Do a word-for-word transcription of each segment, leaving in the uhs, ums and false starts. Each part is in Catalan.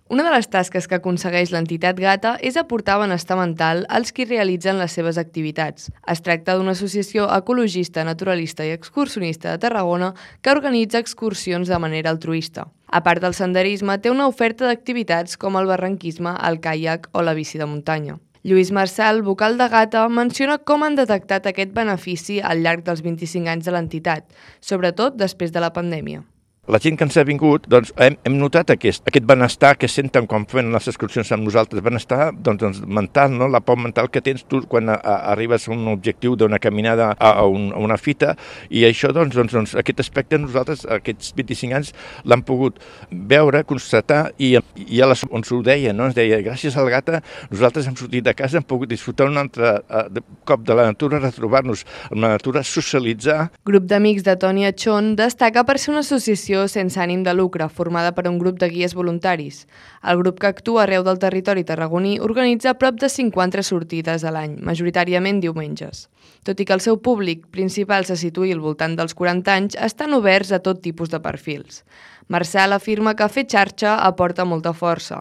Una de les tasques que aconsegueix l'entitat Gata és aportar benestar mental als qui realitzen les seves activitats. Es tracta d'una associació ecologista, naturalista i excursionista de Tarragona que organitza excursions de manera altruista. A part del senderisme, té una oferta d'activitats com el barranquisme, el caiac o la bici de muntanya. Lluís Marçal, vocal de Gata, menciona com han detectat aquest benefici al llarg dels vint-i-cinc anys de l'entitat, sobretot després de la pandèmia. La gent que ens ha vingut, doncs, hem, hem notat aquest, aquest benestar que senten quan fan les excursions amb nosaltres, benestar doncs, doncs, mental, no? La por mental que tens tu quan a, a, arribes a un objectiu d'una caminada a, a, un, a una fita, i això, doncs, doncs, doncs, aquest aspecte nosaltres, aquests vint-i-cinc anys, l'hem pogut veure, constatar, i, i a les, on s'ho deia, no? Ens deia, gràcies al Gata, nosaltres hem sortit de casa, hem pogut disfrutar un altre uh, cop de la natura, retrobar-nos amb la natura, socialitzar. Grup d'Amics de Toni Achón destaca per ser una associació sense ànim de lucre, formada per un grup de guies voluntaris. El grup, que actua arreu del territori tarragoní, organitza prop de cinquanta sortides a l'any, majoritàriament diumenges. Tot i que el seu públic principal se situï al voltant dels quaranta anys, estan oberts a tot tipus de perfils. Marçal afirma que fer xarxa aporta molta força.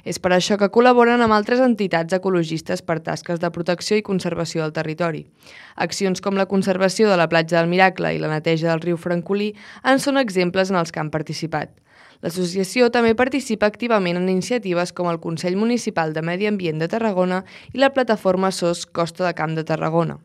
És per això que col·laboren amb altres entitats ecologistes per tasques de protecció i conservació del territori. Accions com la conservació de la platja del Miracle i la neteja del riu Francolí en són exemples en els que han participat. L'associació també participa activament en iniciatives com el Consell Municipal de Medi Ambient de Tarragona i la plataforma S O S Costa de Camp de Tarragona.